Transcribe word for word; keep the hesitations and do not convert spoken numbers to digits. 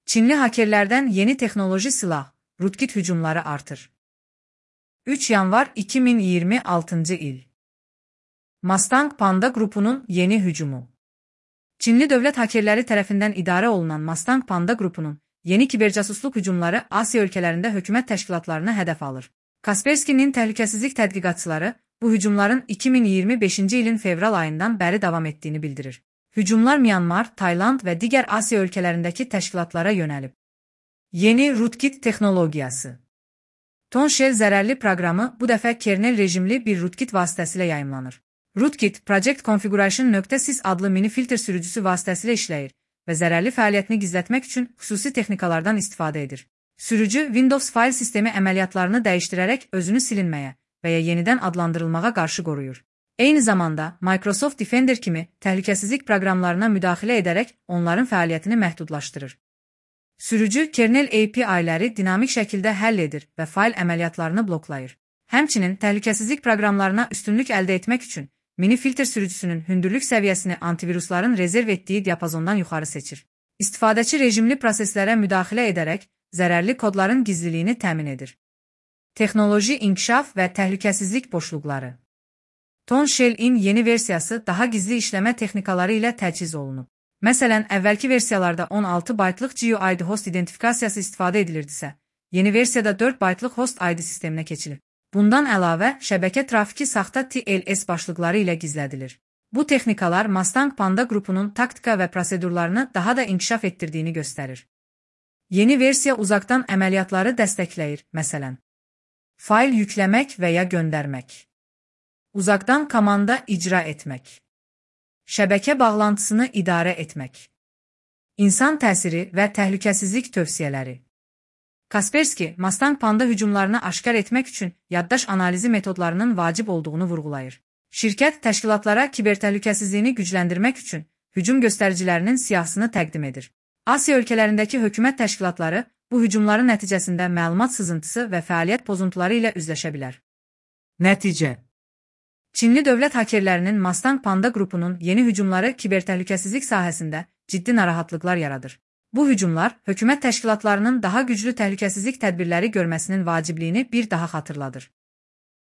Çinli hakerlerden yeni teknoloji silah, Rootkit hücumları artır. üç yanvar iki bin yirmi altıncı il. Mustang Panda Grupu'nun yeni hücumu. Çinli dövlət hakerləri tərəfindən idarə olunan Mustang Panda Grupu'nun yeni kibercasusluk hücumları Asiya ölkələrində hökumət təşkilatlarına hədəf alır. Kaspersky'nin təhlükəsizlik tədqiqatçıları bu hücumların iki bin iyirmi beşinci ilin fevral ayından bəri davam etdiyini bildirir. Hücumlar Myanmar, Tayland və digər Asiya ölkələrindəki təşkilatlara yönəlib. Yeni Rootkit texnologiyası. Tonshell zərərli proqramı bu dəfə kernel rejimli bir Rootkit vasitəsilə yayımlanır. Rootkit, Project Configuration.sys adlı mini filtr sürücüsü vasitəsilə işləyir və zərərli fəaliyyətini gizlətmək üçün xüsusi texnikalardan istifadə edir. Sürücü Windows fayl sistemi əməliyyatlarını dəyişdirərək özünü silinməyə və ya yenidən adlandırılmağa qarşı qoruyur. Eyni zamanda Microsoft Defender kimi təhlükəsizlik proqramlarına müdaxilə edərək onların fəaliyyətini məhdudlaşdırır. Sürücü kernel A P I-ləri dinamik şəkildə həll edir və fayl əməliyyatlarını bloklayır. Həmçinin təhlükəsizlik proqramlarına üstünlük əldə etmək üçün mini filtr sürücüsünün hündürlük səviyyəsini antivirusların rezerv etdiyi diapazondan yuxarı seçir. İstifadəçi rejimli proseslərə müdaxilə edərək zərərli kodların gizliliyini təmin edir. Texnoloji inkişaf və təhlükəsizlik boşluqları. Tonshell-in yeni versiyası daha gizli işləmə texnikaları ilə təchiz olunub. Məsələn, əvvəlki versiyalarda on altı baytlıq G U I D host identifikasiyası istifadə edilirdisə, yeni versiyada dörd baytlıq host I D sisteminə keçilib. Bundan əlavə, şəbəkə trafiki saxta T L S başlıqları ilə gizlədilir. Bu texnikalar Mustang Panda Grupunun taktika və prosedurlarını daha da inkişaf etdirdiyini göstərir. Yeni versiya uzaqdan əməliyyatları dəstəkləyir, məsələn, fayl yükləmək və ya göndərmək, uzaqdan komanda icra etmək, şəbəkə bağlantısını idarə etmək, insan təsiri və təhlükəsizlik tövsiyələri. Kaspersky, Mustang Panda hücumlarını aşkar etmək üçün yaddaş analizi metodlarının vacib olduğunu vurğulayır. Şirkət təşkilatlara kibertəhlükəsizliyini gücləndirmək üçün hücum göstəricilərinin siyahısını təqdim edir. Asiya ölkələrindəki hökumət təşkilatları bu hücumların nəticəsində məlumat sızıntısı və fəaliyyət pozuntuları ilə üzləşə bilər. Nəticə. Çinli dövlət hakerlərinin Mustang Panda Grupunun yeni hücumları kibertəhlükəsizlik sahəsində ciddi narahatlıqlar yaradır. Bu hücumlar hökumət təşkilatlarının daha güclü təhlükəsizlik tədbirləri görməsinin vacibliyini bir daha xatırladır.